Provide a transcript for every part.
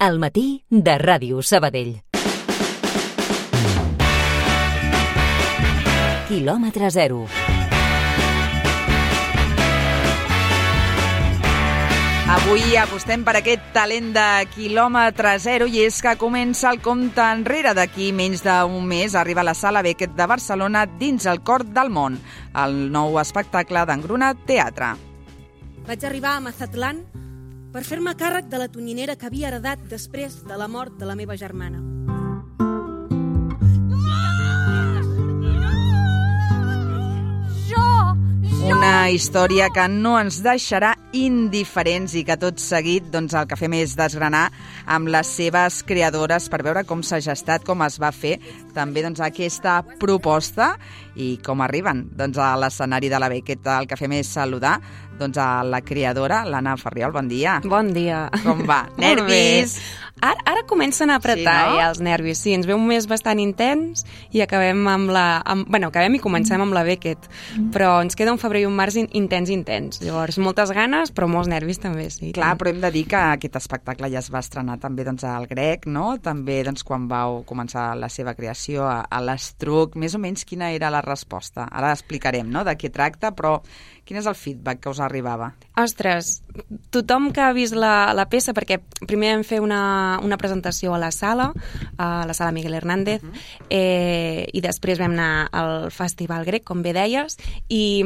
Al matí de Ràdio Sabadell. Quilòmetre zero. Avui apostem per aquest talent de quilòmetre zero i és que comença el compte enrere. D'aquí menys d'un mes arriba a la Sala Beckett de Barcelona Dins el cor del món, el nou espectacle d'Engruna Teatre. Vaig arribar a Mazatlán per fer-me càrrec de la tonyinera que havia heredat després de la mort de la meva germana. Una història que no ens deixarà indiferents i que tot seguit el que fem és desgranar amb les seves creadores per veure com s'ha gestat, com es va fer també aquesta proposta i com arriben a l'escenari de la Beckett. El que fem és saludar a la creadora, l'Anna Farriol. Bon dia. Bon dia. Com va? Nervis? Ara comencen a apretar ja els nervis. Sí, ens ve un mes bastant intens i acabem acabem i comencem amb la Beckett. Però ens queda un febrer i un març intens. Llavors, moltes ganes, però molts nervis també, sí. Clar, però hem de dir que aquest espectacle ja es va estrenar també al Grec, no? També quan vau començar la seva creació a l'Estruc. Més o menys quina era la resposta? Ara explicarem, no?, de què tracta, però quin és el feedback que us arribava? Ostres, tothom que ha vist la peça, perquè primer vam fer una presentació a la sala Miguel Hernández, i després vam anar al Festival Grec, com bé deies, i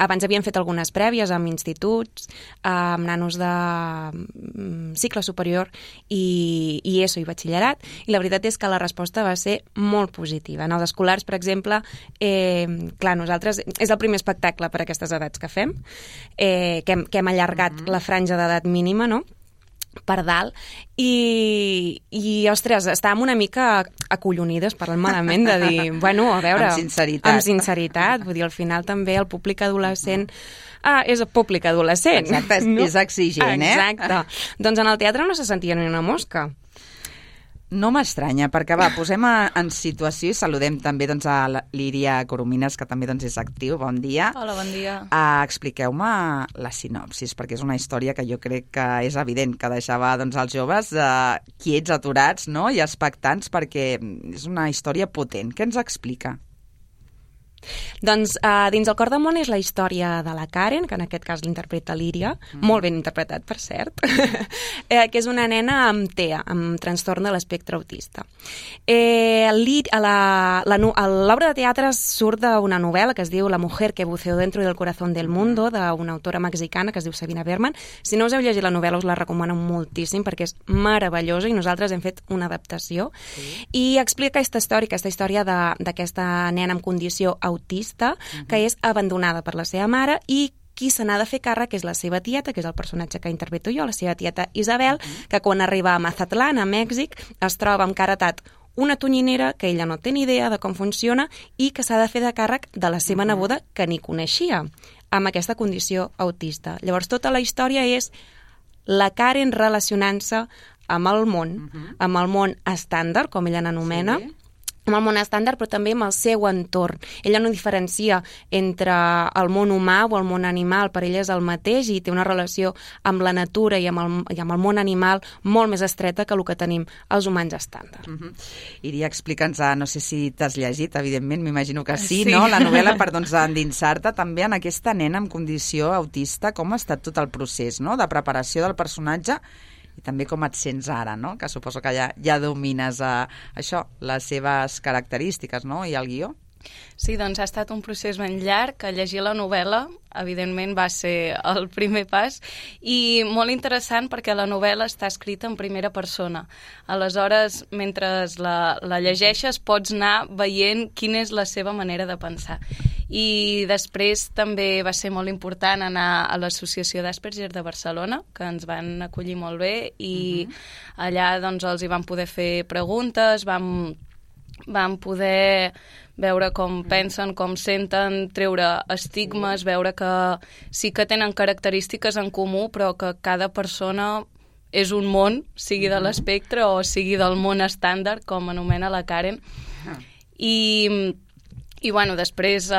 abans havíem fet algunes prèvies amb instituts, amb nanos de cicle superior i ESO i batxillerat, i la veritat és que la resposta va ser molt positiva. En els escolars, per exemple, clar, nosaltres és el primer espectacle per a aquestes edats que fem, que hem allargat la franja d'edat mínima, no?, per dalt, i ostres, estàvem una mica acollonides, parlant malament, de dir, bueno, a veure... Amb sinceritat. Vull dir, al final també el públic adolescent és el públic adolescent. Exacte, no? És exigent, Exacte. Doncs en el teatre no se sentia ni una mosca. No m'estranya, perquè posem en situació i saludem també a l'Íria Coromines, que també és actiu. Bon dia. Hola, bon dia. Expliqueu-me la sinopsis, perquè és una història que jo crec que és evident que deixava els joves quiets, aturats, no?, i expectants, perquè és una història potent. Què ens explica? Doncs Dins el cor del món és la història de la Karen, que en aquest cas l'interpreta l'Íria, molt ben interpretat, per cert, que és una nena amb TEA, amb trastorn de l'espectre autista. L'obra de teatre surt d'una novel·la que es diu La mujer que buceó dentro del corazón del mundo, d'una autora mexicana que es diu Sabina Berman. Si no us heu llegit la novel·la, us la recomano moltíssim perquè és meravellosa i nosaltres hem fet una adaptació. I explica aquesta història d'aquesta nena amb condició autista, que és abandonada per la seva mare i qui se n'ha de fer càrrec és la seva tieta, que és el personatge que interpreto jo, la seva tieta Isabel, que quan arriba a Mazatlán, a Mèxic, es troba amb caratat una tonyinera que ella no té ni idea de com funciona i que s'ha de fer de càrrec de la seva neboda, que ni coneixia, amb aquesta condició autista. Llavors, tota la història és la Karen relacionant-se amb el món estàndard, com ella n'anomena, amb el món estàndard, però també amb el seu entorn. Ella no diferencia entre el món humà o el món animal, per ella és el mateix i té una relació amb la natura i amb el món animal molt més estreta que el que tenim els humans estàndard. Iria, explica'ns, no sé si t'has llegit, evidentment, m'imagino que sí, no?, la novel·la, per endinsar-te també en aquesta nena amb condició autista, com ha estat tot el procés, no?, de preparació del personatge i també com et sents ara, no?, que suposo que ja domines això, les seves característiques, no?, i el guió. Sí, doncs ha estat un procés ben llarg, que llegir la novel·la, evidentment, va ser el primer pas, i molt interessant perquè la novel·la està escrita en primera persona. Aleshores, mentre la llegeixes, pots anar veient quina és la seva manera de pensar. I després també va ser molt important anar a l'Associació d'Asperger de Barcelona, que ens van acollir molt bé, i allà els hi vam poder fer preguntes, vam poder veure com pensen, com senten, treure estigmes, veure que sí que tenen característiques en comú, però que cada persona és un món, sigui de l'espectre o sigui del món estàndard, com anomena la Karen. I bueno, després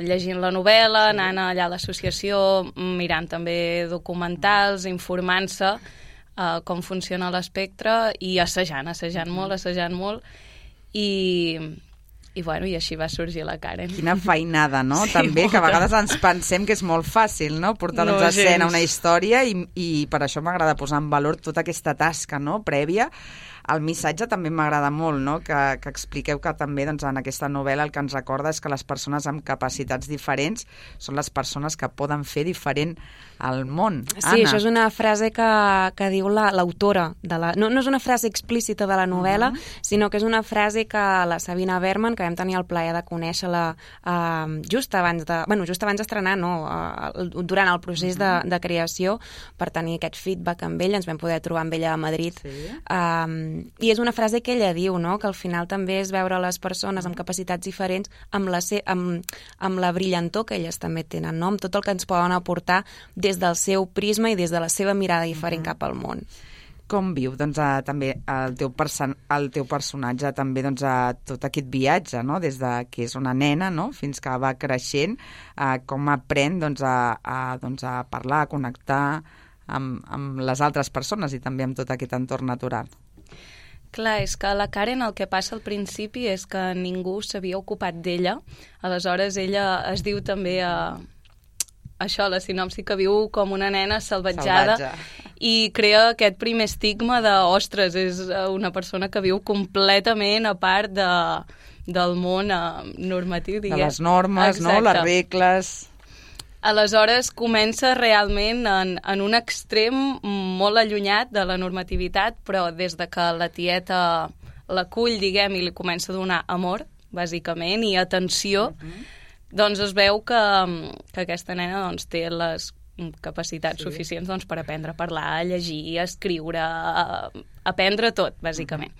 llegint la novel·la, anant allà a l'associació, mirant també documentals, informant-se, com funciona l'espectre i assajant molt i bueno, i així va sorgir la Karen. Quina feinada, no? Sí, també, molta. que a vegades ens pensem que és molt fàcil, no?, portar No, a escena gens. una història i per això m'agrada posar en valor tota aquesta tasca, no?, prèvia. El missatge també m'agrada molt, no?, que expliqueu que també doncs, en aquesta novel·la el que ens recorda és que les persones amb capacitats diferents són les persones que poden fer diferent el món. Sí, Anna. això és una frase que diu l'autora. No és una frase explícita de la novel·la, sinó que és una frase que la Sabina Berman, que vam tenir el plaer de conèixer-la just abans d'estrenar, durant el procés de creació, per tenir aquest feedback amb ella, ens vam poder trobar amb ella a Madrid. Sí. I és una frase que ella diu, no?, que al final també és veure les persones amb capacitats diferents amb la brillantor que elles també tenen, no?, amb tot el que ens poden aportar des del seu prisma i des de la seva mirada diferent cap al món. Com viu doncs, també el teu personatge també doncs, tot aquest viatge, no?, des de que és una nena, no?, fins que va creixent, com aprèn doncs, a parlar, a connectar amb les altres persones i també amb tot aquest entorn natural. Clar, és que la Karen el que passa al principi és que ningú s'havia ocupat d'ella. Aleshores, ella es diu també això, la sinopsi, que viu com una nena salvatjada i crea aquest primer estigma de, ostres, és una persona que viu completament a part del món normatiu, diguem. De les normes, no?, les regles. Aleshores comença realment en un extrem molt allunyat de la normativitat, però des de que la tieta l'acull, diguem, i li comença a donar amor, bàsicament, i atenció, doncs es veu que aquesta nena doncs, té les capacitats suficients doncs, per aprendre a parlar, a llegir, a escriure, a aprendre tot, bàsicament.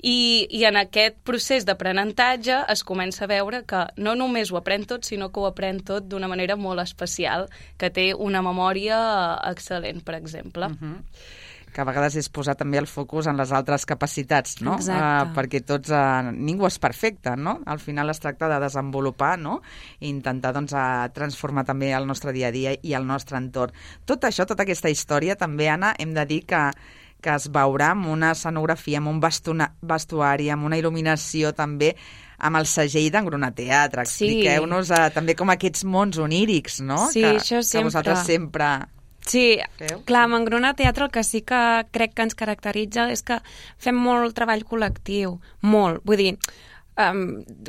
I en aquest procés d'aprenentatge es comença a veure que no només ho aprèn tot, sinó que ho aprèn tot d'una manera molt especial, que té una memòria excel·lent, per exemple. Que a vegades és posar també el focus en les altres capacitats, no? Exacte. Perquè ningú és perfecte, no? Al final es tracta de desenvolupar, no?, i intentar doncs, transformar també el nostre dia a dia i el nostre entorn. Tot això, tota aquesta història, també, Anna, hem de dir que es veurà amb una escenografia, amb un vestuari, amb una il·luminació també, amb el segell d'Engruna Teatre. Expliqueu-nos també com aquests mons onírics, no?, Sí, això sempre. Que vosaltres sempre... Sí, feu? clar, amb Engruna Teatre el que sí que crec que ens caracteritza és que fem molt treball col·lectiu, molt, vull dir,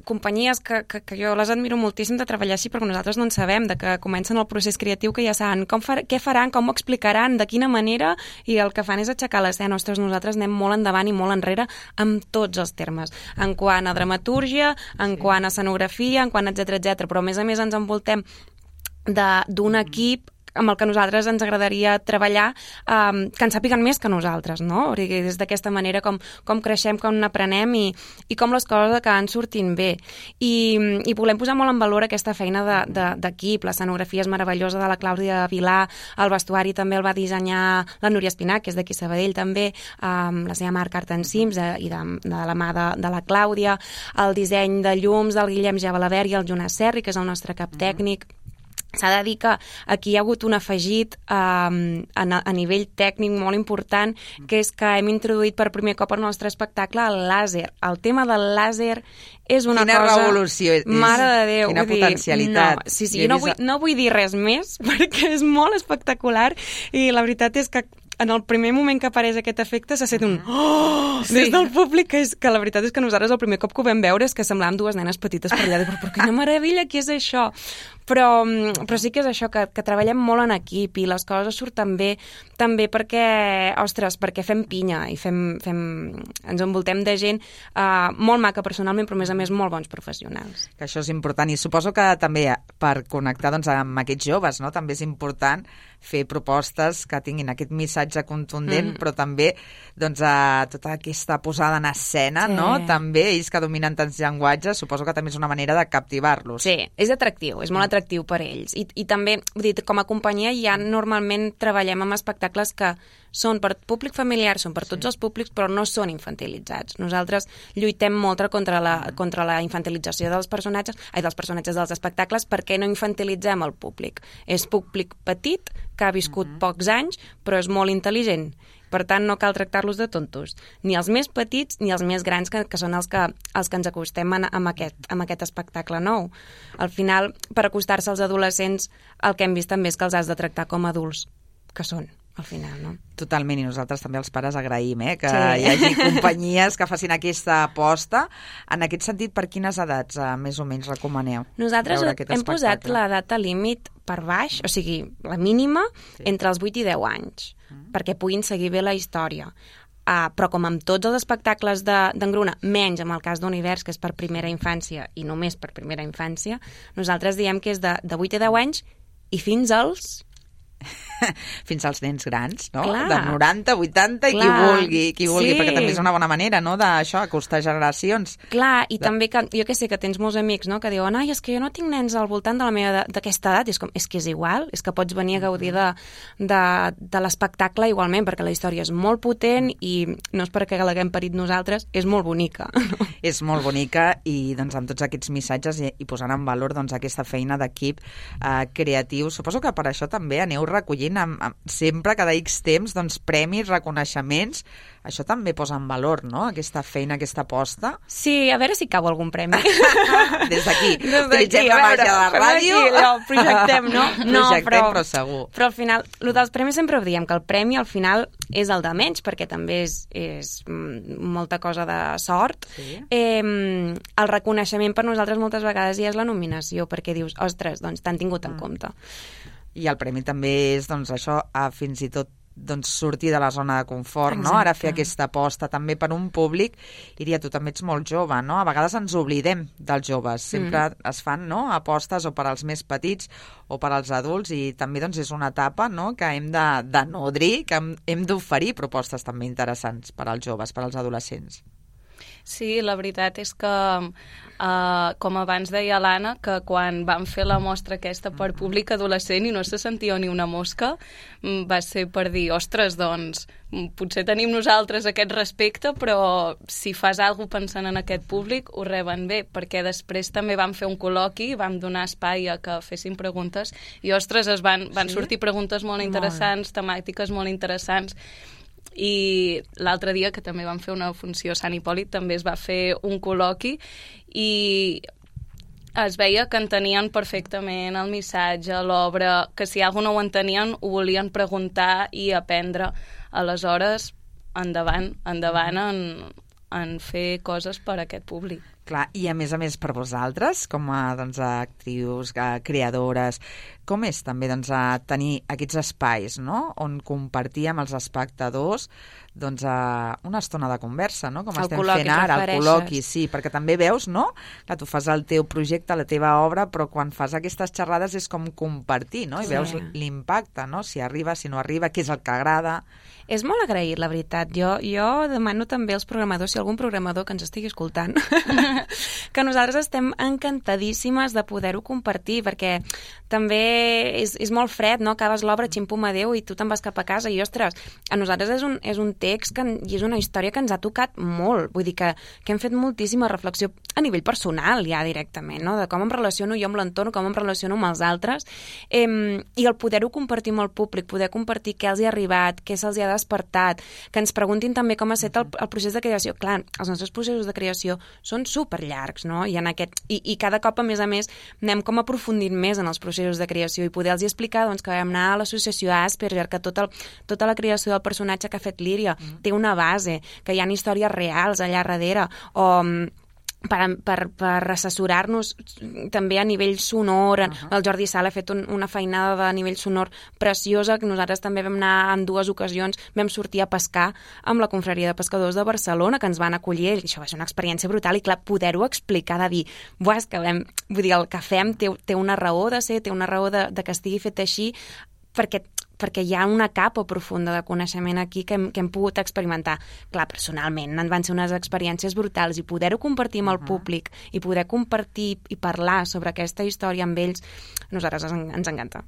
companyies que jo les admiro moltíssim de treballar així, perquè nosaltres no en sabem, de que comencen el procés creatiu, que ja saben què faran, com ho explicaran, de quina manera, i el que fan és aixecar l'escena. Ostres, nosaltres anem molt endavant i molt enrere amb tots els termes, en quant a dramatúrgia, en quant a escenografia, en quant etc, però a més ens envoltem d'un equip amb el que nosaltres ens agradaria treballar, que ens sàpiguen més que nosaltres, no? Des d'aquesta manera com creixem, com n'aprenem i com les coses acaben sortint bé. I volem posar molt en valor aquesta feina d'equip. L'escenografia és meravellosa de la Clàudia Vilà, el vestuari també el va dissenyar la Núria Espinac, que és d'aquí Sabadell també, la seva marca Art and Sims, i de la mà de la Clàudia, el disseny de llums del Guillem Jabalabert i el Jonas Serri, que és el nostre cap tècnic. S'ha de dir que aquí hi ha hagut un afegit a nivell tècnic molt important, que és que hem introduït per primer cop al nostre espectacle el làser. El tema del làser és una cosa... Quina revolució! Mare de Déu! Quina potencialitat! No, sí, no vull dir res més, perquè és molt espectacular, i la veritat és que en el primer moment que apareix aquest efecte s'ha fet un oh! Des del públic, que la veritat és que nosaltres el primer cop que ho vam veure és que semblàvem dues nenes petites per allà, però quina meravella, què és això? Però sí que és això, que treballem molt en equip i les coses surten bé també perquè fem pinya i ens envoltem de gent molt maca personalment, però a més molt bons professionals. Que això és important, i suposo que també per connectar doncs, amb aquests joves, no? També és important fer propostes que tinguin aquest missatge contundent, però també doncs, tota aquesta posada en escena, no? També ells que dominen tants llenguatges, suposo que també és una manera de captivar-los. Sí, és atractiu, és molt atractiu per ells. I també, vull dir, com a companyia ja normalment treballem amb espectacles que són per públic familiar, són per tots els públics, però no són infantilitzats. Nosaltres lluitem molt contra la infantilització dels personatges dels espectacles, perquè no infantilitzem el públic. És públic petit, que ha viscut pocs anys, però és molt intel·ligent. Per tant, no cal tractar-los de tontos. Ni els més petits ni els més grans, que són els que ens acostem amb aquest espectacle nou. Al final, per acostar-se als adolescents, el que hem vist també és que els has de tractar com a adults que són, al final, no? Totalment, i nosaltres també els pares agraïm que hi hagi companyies que facin aquesta aposta. En aquest sentit, per quines edats més o menys recomaneu? Nosaltres hem posat la data límit per baix, o sigui, la mínima, entre els 8 i 10 anys, perquè puguin seguir bé la història. Però com amb tots els espectacles d'Engruna, menys en el cas d'Univers, que és per primera infància i només per primera infància, nosaltres diem que és de 8 a 10 anys i fins als nens grans, no? Clar. De 90, 80 i qui vulgui, perquè també és una bona manera, no?, d'això, acostar generacions. Clar, i també que, jo que sé, que tens molts amics, no?, que diuen, ai, és que jo no tinc nens al voltant d'aquesta edat, i és que és igual, és que pots venir a gaudir de l'espectacle igualment, perquè la història és molt potent i no és perquè l'haguem parit nosaltres, és molt bonica. És molt bonica i doncs amb tots aquests missatges i posant en valor doncs aquesta feina d'equip creatiu. Suposo que per això també aneu recollint sempre, cada X temps, doncs, premis, reconeixements. Això també posa en valor, no?, aquesta feina, aquesta aposta. Sí, a veure si cau algun premi. Des d'aquí. Utilitzem la màgia de la ràdio. Projectem, no? Però segur. Però al final, el dels premis sempre ho diem, que el premi al final és el de menys, perquè també és molta cosa de sort. Sí. El reconeixement per nosaltres moltes vegades ja és la nominació, perquè dius, ostres, doncs t'han tingut en compte. I el premi també és, doncs, això, fins i tot doncs, sortir de la zona de confort, exacte, no? Ara fer aquesta aposta també per un públic. Iria, tu també ets molt jove, no? A vegades ens oblidem dels joves. Sempre es fan, no?, apostes o per als més petits o per als adults, i també doncs, és una etapa, no?, que hem de nodrir, que hem d'oferir propostes també interessants per als joves, per als adolescents. Sí, la veritat és que, com abans deia l'Anna, que quan vam fer la mostra aquesta per públic adolescent i no se sentia ni una mosca, va ser per dir, ostres, doncs, potser tenim nosaltres aquest respecte, però si fas alguna cosa pensant en aquest públic, ho reben bé, perquè després també vam fer un col·loqui, vam donar espai a que fessin preguntes, i, ostres, van sortir preguntes molt interessants, temàtiques molt interessants. I l'altre dia, que també vam fer una funció a Sant Hipòlit, també es va fer un col·loqui i es veia que entenien perfectament el missatge, l'obra, que si alguna no ho entenien ho volien preguntar i aprendre. Aleshores, endavant en fer coses per a aquest públic. Clar, i a més per vosaltres, com a doncs, actrius, creadores, com és també doncs, tenir aquests espais, no?, on compartir amb els espectadors doncs, una estona de conversa, no?, com estem fent ara, el col·loqui, sí, perquè també veus, no?, que tu fas el teu projecte, la teva obra, però quan fas aquestes xerrades és com compartir, no?, i veus l'impacte, no?, si arriba, si no arriba, què és el que agrada. És molt agraït, la veritat. Jo demano també als programadors, si algun programador que ens estigui escoltant, que nosaltres estem encantadíssimes de poder-ho compartir, perquè també és molt fred, no? Acabes l'obra, xim-pum, adéu, i tu te'n vas cap a casa, i ostres, a nosaltres és un text i és una història que ens ha tocat molt, vull dir que hem fet moltíssima reflexió a nivell personal ja directament, no?, de com em relaciono jo amb l'entorn, com em relaciono amb els altres, i el poder-ho compartir amb el públic, poder compartir què els hi ha arribat, què se'ls hi ha despertat, que ens preguntin també com ha estat el procés de creació. Clar, els nostres processos de creació són superllargs, no?, i cada cop, a més, anem com aprofundint més en els processos de creació i poder-los explicar doncs, que vam anar a l'associació Asperger, que tota la creació del personatge que ha fet Líria té una base, que hi ha històries reals allà darrere, o per assessorar-nos també a nivell sonor. El Jordi Sala ha fet una feinada de nivell sonor preciosa, que nosaltres també vam anar en 2 ocasions, vam sortir a pescar amb la Confraria de Pescadors de Barcelona, que ens van acollir, i això va ser una experiència brutal, i clar, poder-ho explicar, de dir, és que vull dir, el que fem té una raó de ser, té una raó de que estigui fet així, perquè hi ha una capa profunda de coneixement aquí que hem pogut experimentar. Clar, personalment, van ser unes experiències brutals, i poder-ho compartir amb el públic i poder compartir i parlar sobre aquesta història amb ells, a nosaltres ens encanta.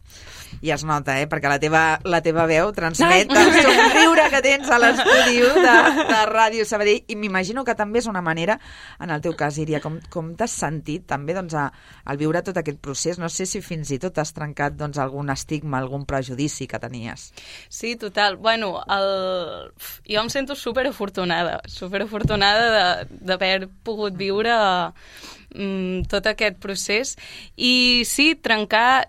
I es nota, perquè la teva veu transmet el somriure que tens a l'estudi de Ràdio Sabadell, i m'imagino que també és una manera, en el teu cas, Iria, com t'has sentit també doncs, al viure tot aquest procés. No sé si fins i tot has trencat doncs, algun estigma, algun prejudici que tenies. Sí, total. Bueno, jo em sento superafortunada d'haver pogut viure tot aquest procés i sí, trencar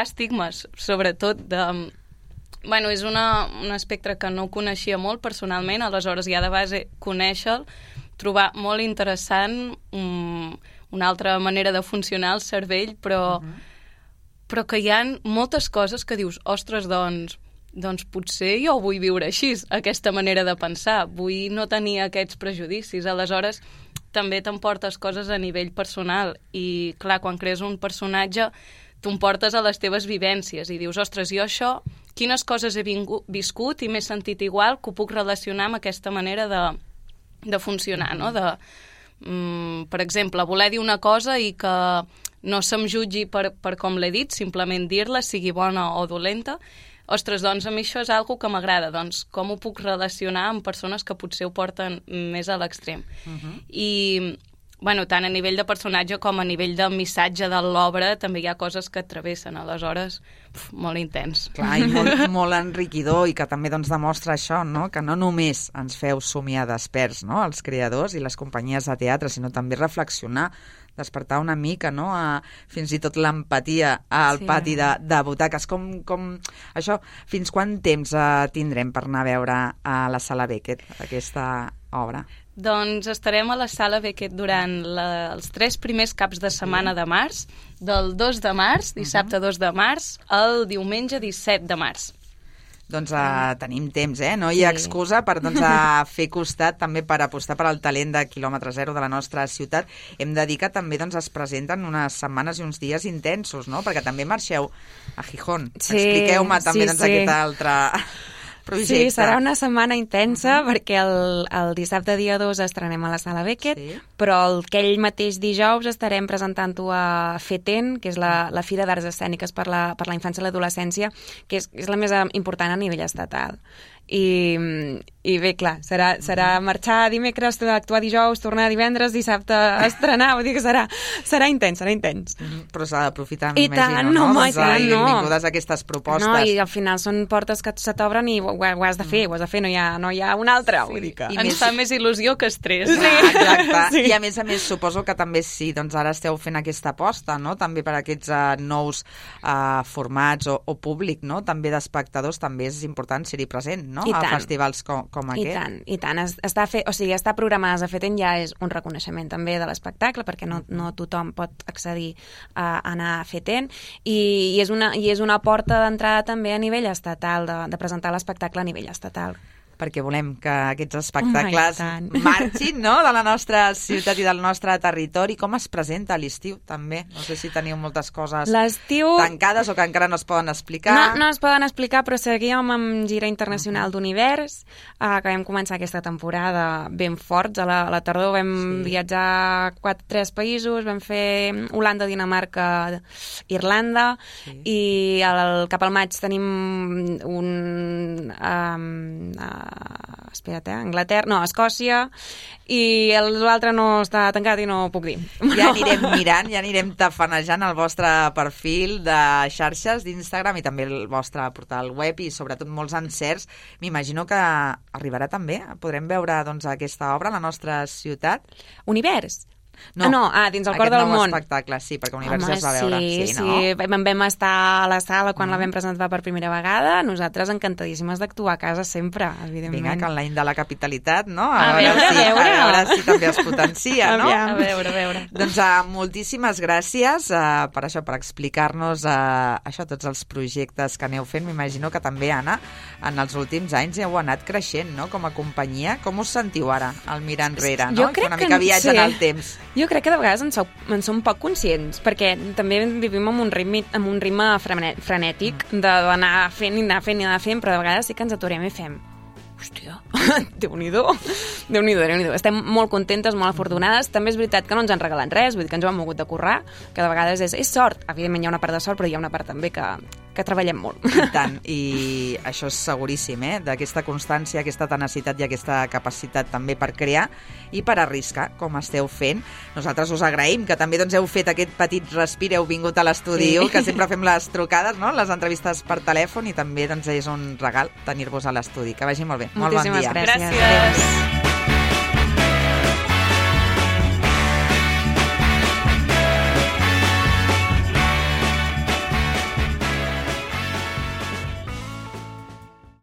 estigmes, sobretot Bueno, és un espectre que no coneixia molt personalment, aleshores ja de base conèixer-lo, trobar molt interessant una altra manera de funcionar el cervell, però que hi ha moltes coses que dius, ostres, doncs potser jo vull viure així, aquesta manera de pensar, vull no tenir aquests prejudicis, aleshores també t'emportes coses a nivell personal i, clar, quan crees un personatge tu em portes a les teves vivències i dius, ostres, jo això, quines coses he viscut i m'he sentit igual que ho puc relacionar amb aquesta manera de funcionar, no? Per exemple, voler dir una cosa i que no se'm jutgi per com l'he dit, simplement dir-la, sigui bona o dolenta. Ostres, doncs a mi això és algo que m'agrada, doncs com ho puc relacionar amb persones que potser ho porten més a l'extrem. I bueno, tant a nivell de personatge com a nivell de missatge de l'obra també hi ha coses que travessen, aleshores molt intens. Clar, i molt enriquidor i que també doncs, demostra això, no? Que no només ens feu somiar desperts, no? Els creadors i les companyies de teatre, sinó també reflexionar, despertar una mica, no? Fins i tot l'empatia al pati de butaques. Com això, fins quan temps tindrem per anar a veure a la Sala Beckett aquesta obra? Doncs estarem a la Sala Beckett durant els 3 primers caps de setmana de març, del 2 de març, dissabte 2 de març, al diumenge 17 de març. Doncs tenim temps, no hi ha excusa per fer costat, també per apostar per al talent de quilòmetre zero de la nostra ciutat. Hem de dir que també es presenten unes setmanes i uns dies intensos, no? Perquè també marxeu a Gijón. Expliqueu-me també aquest altre projecte. Sí, serà una setmana intensa perquè el dissabte dia 2 estrenem a la Sala Beckett, però aquell mateix dijous estarem presentant-ho a FETEN, que és la Fira d'Arts Escèniques per la infància i l'adolescència, que és la més important a nivell estatal. I bé, clar, serà marxar dimecres, actuar dijous, tornar divendres, dissabte estrenar, vull dir que serà intens, Però s'ha d'aprofitar, m'imagino, no? I tant, no. Benvingudes aquestes propostes. No, i al final són portes que se t'obren i ho has de fer, no hi ha una altra, vull dir que... Ens fa més il·lusió que estrès. Exacte, i a més, suposo que també ara esteu fent aquesta aposta, no? També per aquests nous formats o públic, no? També d'espectadors, també és important ser-hi present, no? A festivals com aquest. I tant. Estar programades a FETEN ja és un reconeixement també de l'espectacle, perquè no tothom pot accedir a anar a FETEN, i és una porta d'entrada també a nivell estatal, de presentar l'espectacle a nivell estatal. Perquè volem que aquests espectacles marxin, no?, de la nostra ciutat i del nostre territori. Com es presenta a l'estiu, també? No sé si teniu moltes coses tancades o que encara no es poden explicar. No es poden explicar, però seguíem amb gira internacional d'Univers, que vam començar aquesta temporada ben forts. A la tardor vam viatjar a 3 països, vam fer Holanda, Dinamarca, Irlanda, i cap al maig tenim Escòcia, i l'altre no està tancat i no puc dir. Ja anirem mirant, ja anirem tafanejant el vostre perfil de xarxes d'Instagram i també el vostre portal web i sobretot molts encerts. M'imagino que arribarà també, podrem veure aquesta obra a la nostra ciutat. Univers? Dins el cor del món. Aquest nou espectacle, sí, perquè Univers ja es va veure. Sí, vam estar a la sala quan la vam presentar per primera vegada. Nosaltres encantadíssimes d'actuar a casa sempre, evidentment. Vinga, que en l'any de la capitalitat, no? A veure si també es potencia, no? A veure. Doncs moltíssimes gràcies per això, per explicar-nos tots els projectes que aneu fent. M'imagino que també, Anna, en els últims anys heu anat creixent, no?, com a companyia. Com us sentiu ara, al mirar enrere, no? Jo crec una mica viatge en el temps. Jo crec que de vegades en som poc conscients, perquè també vivim amb un ritme frenètic d'anar fent, però de vegades sí que ens aturem i fem hòstia, Déu-n'hi-do. Estem molt contentes, molt afortunades. També és veritat que no ens han regalat res, vull dir que ens ho hem mogut de currar, que de vegades és sort. Evidentment hi ha una part de sort, però hi ha una part també que que treballem molt. I tant, i això és seguríssim, d'aquesta constància, aquesta tenacitat i aquesta capacitat també per crear i per arriscar, com esteu fent. Nosaltres us agraïm que també heu fet aquest petit respir, heu vingut a l'estudi, que sempre fem les trucades, les entrevistes per telèfon, i també és un regal tenir-vos a l'estudi. Que vagi molt bé. Molt bon dia. Gràcies. Gràcies.